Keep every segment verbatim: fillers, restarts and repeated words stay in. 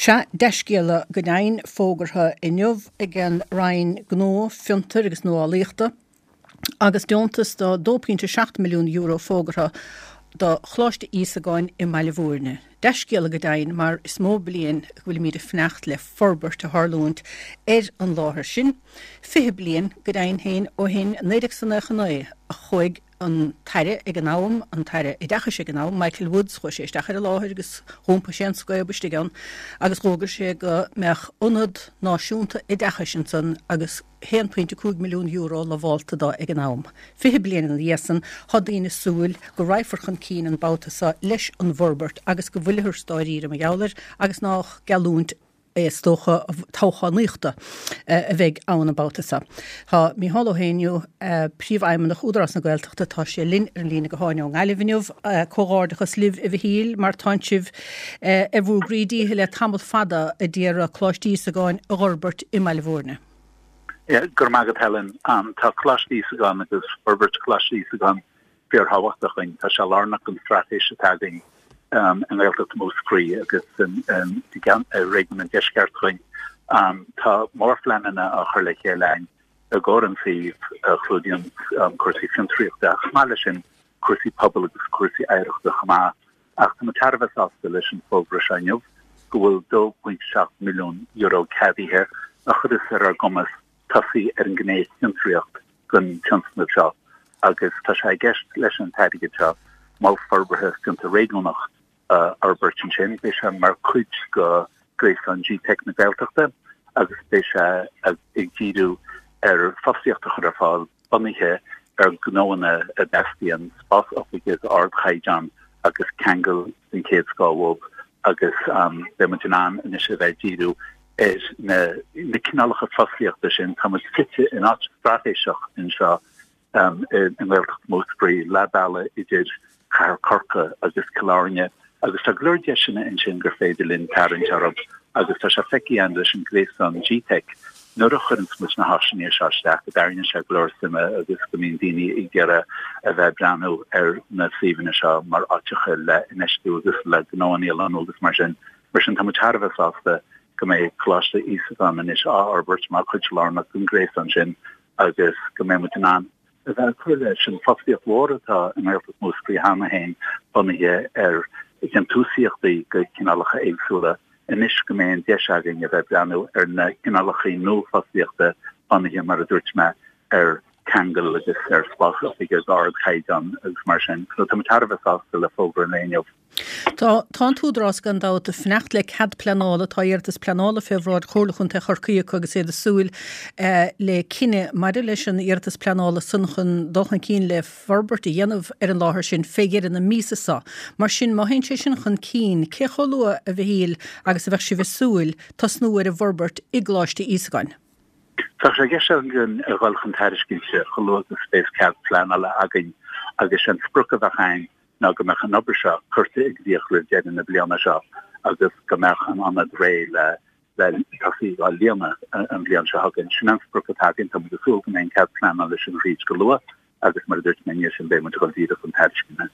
Sea, dea-scéala go deimhin fógartha inniu ag an Roinn Gnó, Fiontair agus Nuálaíochta agus deontas de dó pointe seacht milliún euro fógartha do Choláiste Íosagáin i mBaile Bhúirne. Dea-scéala go deimhin mar is mó bliain go bhfuilimid ag fanacht le forbairt a tharlúint ar an láthair sin. Fiche bliain go deimhin féin ó shin, naoi déag nócha naoi, a chuaigh an tAire ag an am, an tAire Oideachais ag an am, Michael Woods, chuaigh sé isteach ar an láthair agus dh'iompaigh sé an scaob istigh ann agus dh'fhógair sé go mbeadh ionad náisiúnta oideachais ansan agus haon pointe cúig milliún euro lamhálta dó ag an am. Fiche bliain ina dhiaidh san, tá daoine ag súil go raghfar chun cinn an babhta seo leis an bhforbairt agus go bhfuilthear dáiríre mar gheall air agus nách geallúint is dócha toghchánaíochta a bheidh ann an babhta seo. Tá Micheál Ó hÉinniú, Príomhfheidhmeannach Údarás na Gaeltachta, tá sé linn ar an líne gutháin ón nGaillimh inniu. Comhghairdeachas libh, a Mhichíl, mar tánn sibh ar bhur gcroí díchill le tamall fada a d'iarraidh Coláiste Íosagáin a dh'fhorbairt i mBaile Bhúirne. Go raibh maith agat, Helen. Tá Coláiste Íosagáin agus forbairt Choláiste Íosagáin fíorthábhachtach dúinn. Tá sé lárnach don straitéis atá againn i nGaeltacht Mhúscraí agus i réigiún an Deisceart dúinn. Tá mórphleananna á chur le chéile againn i gcomhair an tsuímh a chlúdaíonn cúrsaí fiontraíochta ach chomh maith leis sin cúrsaí pobail agus cúrsaí oidhreachta chomh maith. Ach tá muid thar a bheith sásta leis an bhfógra seo inniu go bhfuil dó pointe seacht milliún euro ceadaithe a chuirfeas ar ár gcumas tosaí ar an ngné fiontraíocht den tionscnamh seo agus tá sé i gceist leis an t-airgead seo mol forbartha fiontar réigiúnach a fhorbairt ansin. Beidh sé mar chuid de ghréasán G-Teic na Gaeltachta agus beidh sé ag díriú ar fostaíocht a chur ar fáil bunaithe ar ghnóanna a dteastaíonn spás oifige d'ardchaighdeán agus ceangal den chéad scoth uathu agus beidh muid in ann anois a bheith ag díriú ar na na cineálacha fostaíochta sin. Tá muid suite in áit straitéiseach anseo i nGaeltacht Mhúscraí, leath bealaigh idir Cathair Chorcaí agus Cill Airne agus tá go leor deiseanna ansin gur féidir linn tarraingt orthu agus tá sé feicthe againn leis an ghréasán G-Teic nuair a chuireanns muid na háiseanna seo isteach go dtarraingíonn sé go leor suime agus go mbíonn daoine ag iarraidh a bheith ag breathnú ar na suíomhanna seo mar áiteacha le infheistiú agus le gnóanna a lonnú agus mar sin. Mar sin tá muid thar a bheith sásta go mbeidh Coláiste Íosagáin anois á fhorbairt mar chuid lárnach den ghréasán sin agus go mbeidh muid in ann a bheith ag cur leis an bhfostaíocht mhór atá i nGaeltacht Mhúscraí cheana féin bunaithe ar dhéantúsaíochtaí de chineálacha éagsúla anois go mbeidh an deis againn a bheith ag breathnú ar na cineálacha nua fostaíochta bunaithe, mar a dúirt mé, ar cheangal agus ar spás oifige d'ardchaighdeán agus mar sin. So tá muid thar a bheith sásta le fógra an lae inniu. Tá tá an tÚdarás gan dabht ag fanacht le cead pleanála. Tá iarratas pleanála fé bhráid Chomhairle Chontae Chorcaí acu agus iad ag súil le cinneadh maidir leis an iarratas pleanála san chun dul chun cinn le forbairt a dhéanamh ar an láthair sin fé dheireadh na míosa seo. Mar sin, má théann sé sin chun cinn, cé chomh luath, a Mhichíl, agus a bheadh sibh ag súil tosnú ar an bhforbairt i gColáiste Íosagáin? Tá sé i gceist againn a dhul chun tairiscinte chomh luath agus a bheas cead pleanála againn agus sé an sprioc a bheadh againn ná go mbeadh an obair seo curtha i gcrích roimh deireadh na bliana seo agus go mbeadh an ionad réidh le le tosaí á líonadh an bhliain seo chugainn. Sin an sprioc atá againn. Tá muid ag súil go mbeidh an cead pleanála sin thríd go luath agus mar a dúirt mé ansin beidh muid ag dul díreach chun tairisceana.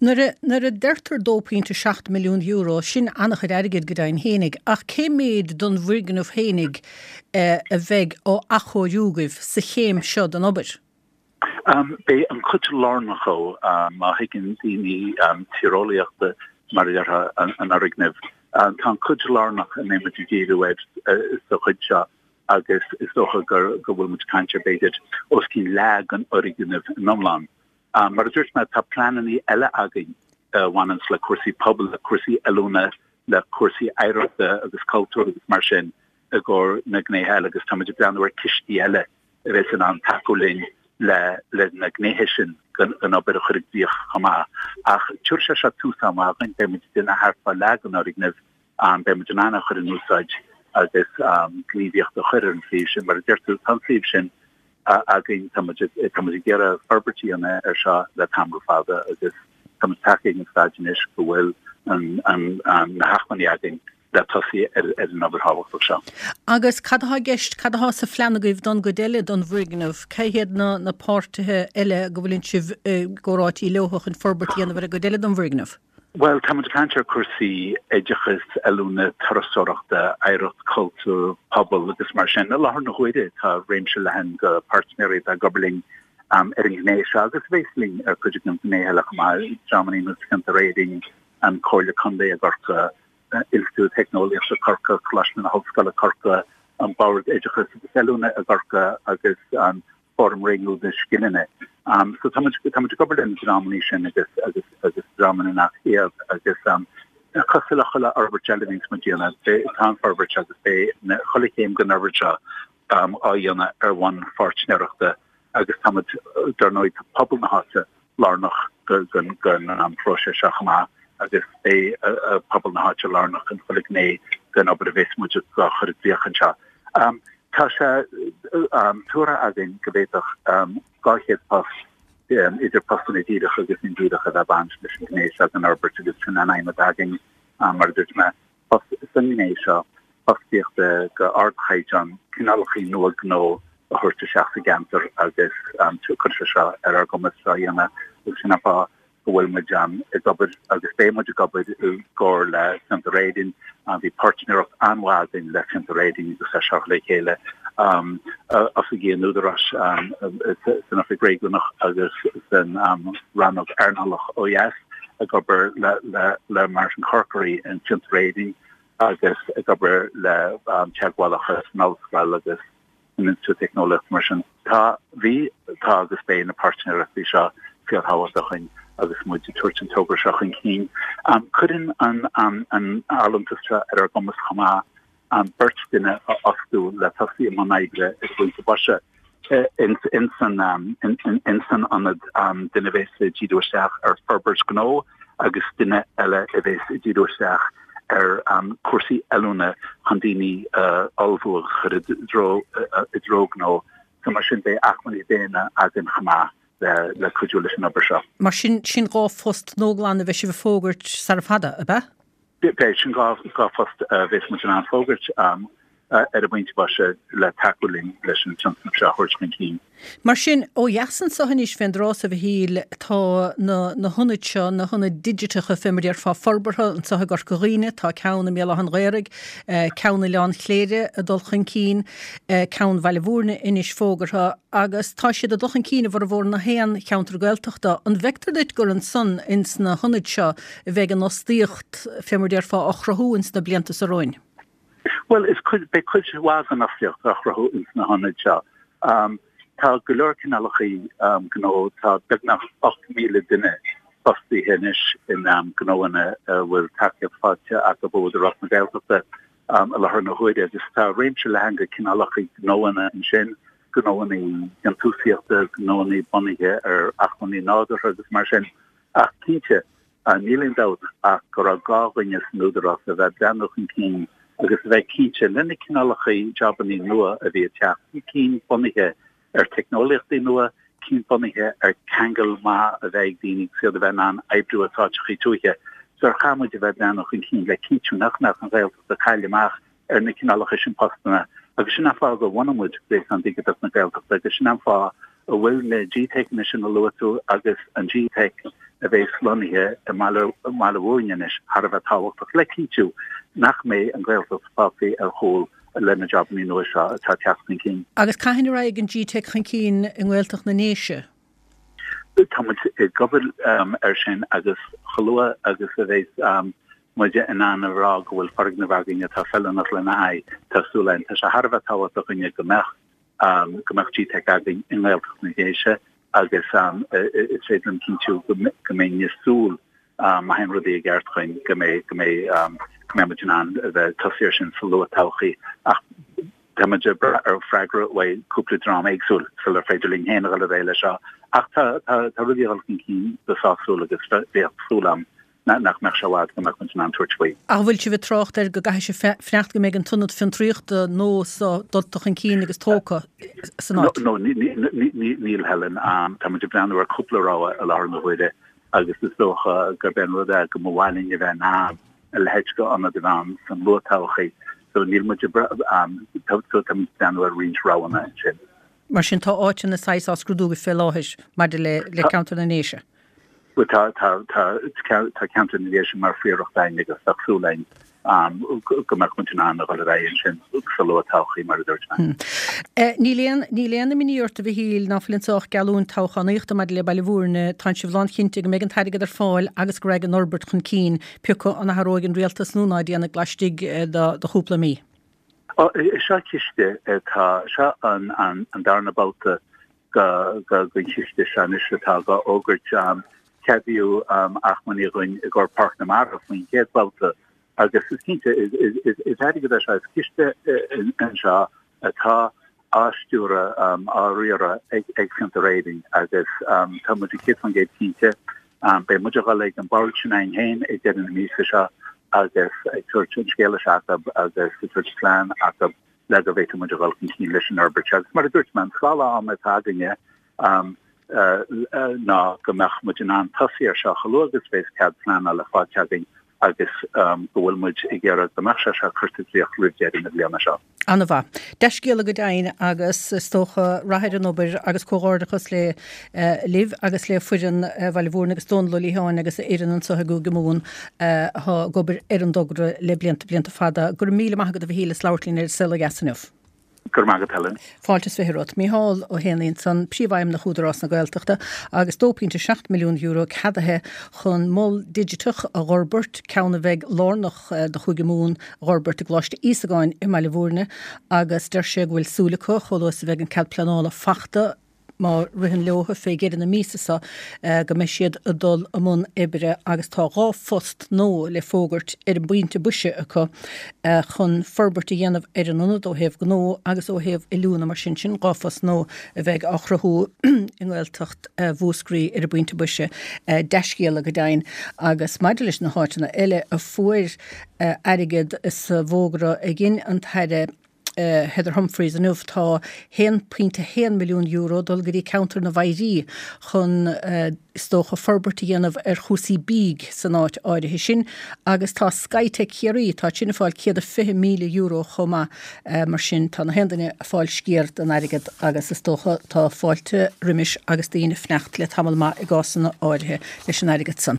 Nuair a nuair a deirtear dó pointe seacht milliún euro, sin an-chuid airgid go deimhin fhéinig, ach cé méid don bhfoirgneamh fhéinig a bheidh á athchóiriú agaibh sa chéim seo den obair? Beidh an chuid lárnach dhó, má thuigeann daoine tíreolaíochta, mar a déarfá, an fhoirgnimh, tá an chuid lárnach a mbeidh muid ag díriú air sa chuid seo agus is dócha go bhfuil muid ag caint ar b'fhéidir os cionn leath den fhoirgneamh in iomlán. Mar a dúirt mé, tá pleananna eile againn a bhaineanns le cúrsaí pobail, le cúrsaí oiliúna, le cúrsaí oidhreachta agus cultúir agus mar sin i gcomhair na gnéithe eile agus tá muid ag breathnú ar cistí eile a bheas in ann tacú linn le le na gnéithe sin den obair a chur i gcrích chomh maith. Ach tabharfaidh sé seo tús an-mhaith dhúinn, beidh muid ag déanamh thart fá leath den fhoirgneamh, beidh muid in ann é a chur in úsáid agus gníomhaíocht a chur ar an suíomh sin. Mar a deir tú, tá an suíomh sin againn, tá muid tá muid ag iarraidh forbairt a dhéanamh air seo le tamall fada agus tá muid tagtha ag an staid anois go bhfuil an an na hacmhainní againn le tosaí ar an obair thábhachtach seo. Agus cad atá i gceist, cad atá sa phlean agaibh don gcuid eile don bhfoirgneamh? Cé hiad na na páirtithe eile go bhfuileann sibh i gcomhráití leo chun forbairt a dhéanamh ar an gcuid eile don bhfoirgneamh? Bhuel, tá muid ag caint ar cúrsaí oideachais, oiliúna, turasóireachta, oidhreacht, cultúr, pobal agus mar sin. I láthair na huaire tá réimse leathan de pháirtnéirí atá ag obair linn ar an ghné seo agus a bheas linn ar chuid de na gnéithe eile chomh maith, dreamanna ar nós Fiontar Éireann, an Comhairle Contae i gCorcaigh, Institiúid Teicneolaíochta Corcaigh, Coláiste na hOllscoile Corcaigh, an Bord Oideachais agus Oiliúna i gCorcaigh agus an Fóram Réigiúnach na Scileanna. So tá muid tá muid ag obair le na dreamanna sin agus agus agus dreamanna nach iad agus um, cosúil le chuile fhorbairt eile a bhíonns muid déanamh, tá an forbairt agus beidh na chuile chéim den fhorbairt seo um, á dhéanamh ar bhonn pháirtnéireachta agus tá muid dar ndóigh tá pobal na háite lárnach den den um, phróiseas seo chomh maith agus beidh uh, pobal na háite lárnach in chuile ghné den obair a bheas muid ag chur i gcrích anseo. Um, Tá sé tuartha againn go bhféadfadh dhá chéad post, idir postanna díreacha agus indíreacha, a bheith ag baint leis an ghné seo den fhorbairt agus sin an aidhm atá againn, mar a dúirt mé, sa ghné seo fostaíocht de ardchaighdeán, cineálacha nua gnó a thabhairt isteach sa gceantar agus cuirfidh sé seo ar ár gcumas seo a dhéanamh agus sin an fáth go bhfuil muid ag obair agus beidh muid ag obair i gcomhar le Fiontar Éireann. Bhí páirtnéireacht an-mhaith againn le Fiontar Éireann agus é seo le chéile, oifigí an Údaráis san Oifig Réigiúnach agus san Rannóg Earnálach ó dheas ag obair le Martin Corkery in Fiontar Éireann agus ag obair le teagmhálacha san ollscoil agus san Institiúid Teicneolaíochta mar sin. Tá, bhí, tá agus beidh na páirtnéireachtaí seo fíorthábhachtach dúinn agus muid ag tabhairt an togra seo chun cinn. Cuireann an an allúntas seo ar ár gcumas chomh maith beirt duine a fhostú le tosaí i mbun oibre ar an bpointe boise ins an ins an ionad, duine a bheas ag díriú isteach ar forbairt gnó agus duine eile a bheas ag díriú isteach ar chúrsaí oiliúna chun daoine a ullmhú agus chur i dtreo i dtreo gnó. So mar sin beidh acmhainní daonna againn chomh maith le le cuidiú leis an obair seo. Mar sin, sin dhá phost nua glan a bheidh sibh ag fógairt sara fada, ab ea? Beidh, sin dhá dhá phost a bheas muid in ann fógairt ar an bpointe boise le tacú linn leis an tionscnamh seo a thabhairt chun cinn. Mar sin, ó dheas anso anois fén dtráth so, a Mhichíl, tá na na hionaid seo, na hionaid digiteacha fé mar a déarfá, forbartha anso i gCorca Dhuibhne, tá ceann i mBéal Átha an Ghaorthaidh, ceann i Oileán Chléire ag dul chun cinn, ceann Bhaile Mhúirne anois fógartha agus tá siad ag dul chun cinn i bhformhór na haon cheantar Gaeltachta. An bhfeictear duit gur ansan ins na hionaid seo a bheidh an fhostaíocht fé mar a déarfá á chruthú ins na blianta so romhainn? Bhuel, is cuid, beidh cuid mhaith den fhostaíocht á chruthú ins na hionaid seo. Tá go leor cineálacha gnó, tá beagnach ocht míle duine fostaithe anois in gnóanna a bhfuil tacaíocht faighte acu ó Údarás na Gaeltachta i láthair na huaire agus tá réimse leathan de chineálacha gnóanna ansin, gnóanna déantúsaíochta, gnóanna bunaithe ar acmhainní nádúrtha agus mar sin. Ach cinnte, Níl aon dabht ach go raibh gá dhúinne san Údarás a bheith ag breathnú chun cinn agus a bheith cinnte le na cineálacha jabannaí nua a bhí ag teacht, cinn bunaithe ar teicneolaíochtaí nua, cinn bunaithe ar ceangal maith a bheith ag daoine agus iad a bheith in ann oibriú as áiteachaí tuaithe. So chaith muid a bheith ag breathnú chun cinn le cinntiú nach mbeadh an Ghaeltacht ag cailleadh amach ar na cineálacha sin postanna agus sin an fáth gur bhunaigh muid Gréasán Digiteach na Gaeltachta agus sin an fáth a bhfuil na GTeiceanna sin a luaigh tú agus an GTeic a bheas lonnaithe i mBaile Mhúirne anois thar a bheith tábhachtach le cinntiú nach mbeidh an Ghaeltacht fágtha ar chúl le na jabannaí nua seo atá ag teacht chun cinn. Agus cathain a raghaidh an GTeic chun cinn i nGaeltacht na nDéise? Tá muid ag obair air sin agus chomh luath agus a bheas muid in ann a rá go bhfuil foirgneamh againn atá feiliúnach lena aghaidh, tá súil againn. Tá sé thar a bheith tábhachtach dhúinne go mbeadh go mbeadh GTeic againn i nGaeltacht na nDéise agus is féidir liom cinntiú go mbeinn ag súil má théann rudaí i gceart chugainn go mbeidh go mbeidh go mbeidh muid in ann a bheith ag tosaí air sin sa luath todhchaí ach tá muid ag brath ar freagra uaidh cúpla dream éagsúil sular féidir linn féin a dhul ar aghaidh leis seo ach tá tá tá rudaí ag dul chun cinn go sásúil agus bheadh súil agam nach mbeadh sé i bhfad go mbeadh muid in ann tabhairt faoi. Ach an bhfuil sibh ag trácht air go gcaithfidh sibh fanacht go mbeidh an t-ionad fiontraíochta nua so dulta chun cinn agus tógtha san áit? No, níl Helen. Tá muid ag breathnú ar cúpla rogha i láthair na huaire agus is dócha gurb é an rud é go mba mhaith linn a bheith in ann a leithéid d'ionad a bheith ann san luath-todhchaí. So níl muid ag tá muid ag breathnú ar roinnt roghanna ansin. Mar sin tá áiteanna saghas á scrúdú fé láthair maidir le ceantar na nDéise. Bhuel tá tá tá tá ceantar na Déise mar phríoracht againn agus tá súil againn go mbeadh muid in ann a dhul ar aghaidh ansin sa luath-todhchaí mar a dúirt mé. Níl aon níl aon imní ort a Mhichíl ná fuil anseo ach geallúint toghchánaíochta maidir le Baile Bhúirne, tánn sibh lánchinnte go mbeidh an t-airgead ar fáil agus go raghaidh an fhorbairt chun cinn, pé acu an athróidh an rialtas nó ná déanfaidh laistigh de chúpla mí. Seo ciste atá seo an an darna babhta den chiste seo anois atá á fhógairt. Ceadaíodh acmhainní dhúinn i gcomhair Páirc na Mara faoin chéad bhabhta agus is cinnte is airgead é seo, is ciste anseo atá á stiúradh, á riaradh ag Fiontar Éireann agus tá muid céad faoin gcéad cinnte. Beidh muid ag dul ag an bord sin againn féin ag deireadh na míosa seo agus ag tabhairt an scéala seo acu agus ag tabhairt plean acu le go bhféadfaidh muid a dhul chun cinn leis an fhorbairt seo. Agus mar a dúirt mé, an scála ama atá againne ná go mbeadh muid in ann tosaí ar seo chomh luath agus a bheas cead pleanála faighte againn agus go bhfuil muid ag iarraidh go mbeadh sé seo curtha i gcrích roimh deireadh na bliana seo. An-mhaith. Dea-scéala go deimhin agus is dócha rath ar an obair agus comhghairdeachas le libh agus le foireann Bhaile Bhúirne agus Dónal Ó Liatháin agus a fhoireann anseo i gCúige Mumhan atá ag obair ar an dtogra le blianta, blianta fada. Go raibh míle maith agat a Mhichíl as labhairt linn ar An Saol Ó Dheas inniu. Go raibh maith agat Helen. Fáilte is fiche romhat. Mícheál Ó hÉanaí ansan, Príomhfheidhmeannach Údarás na Gaeltachta agus dó pointe seacht milliún euro ceadaithe chun mol digiteach a dh'fhorbairt, ceann a bheidh lárnach do Chúige Mumhan a dh'fhorbairt i gColáiste Íosagáin i mBaile Bhúirne agus deir sé go bhfuil súil acu, chomh luath is a bheidh an cead pleanála fachta, má ritheann leo fé dheireadh na míosa seo, go mbeidh siad ag dul i mbun oibre agus tá dhá phost nua le fógairt ar an bpointe boise acu chun forbairt a dhéanamh ar an ionad ó thaobh gnó agus ó thaobh oiliúna mar sin. Sin dhá phost nua a bheidh á chruthú i nGaeltacht Mhúscraí ar an bpointe boise. Dea-scéala go deimhin. Agus maidir leis na háiteanna eile a fuair airgead sa bhfógra a dhein an tAire, Heather Humphreys inniu, tá haon pointe haon milliún euro ag dul go dtí ceantar na bhFoirí chun, is dócha, forbairt a dhéanamh ar chúrsaí bídh san áit áirithe sin agus tá Skytech Chiarraí, tá sin ag fáil céad a fiche míle euro chomh maith. Mar sin, tá na haon duine ag fáil sciar den airgead agus is dócha tá fáilte roimis agus daoine ag fanacht le tamall maith i gcásanna áirithe leis an airgead san.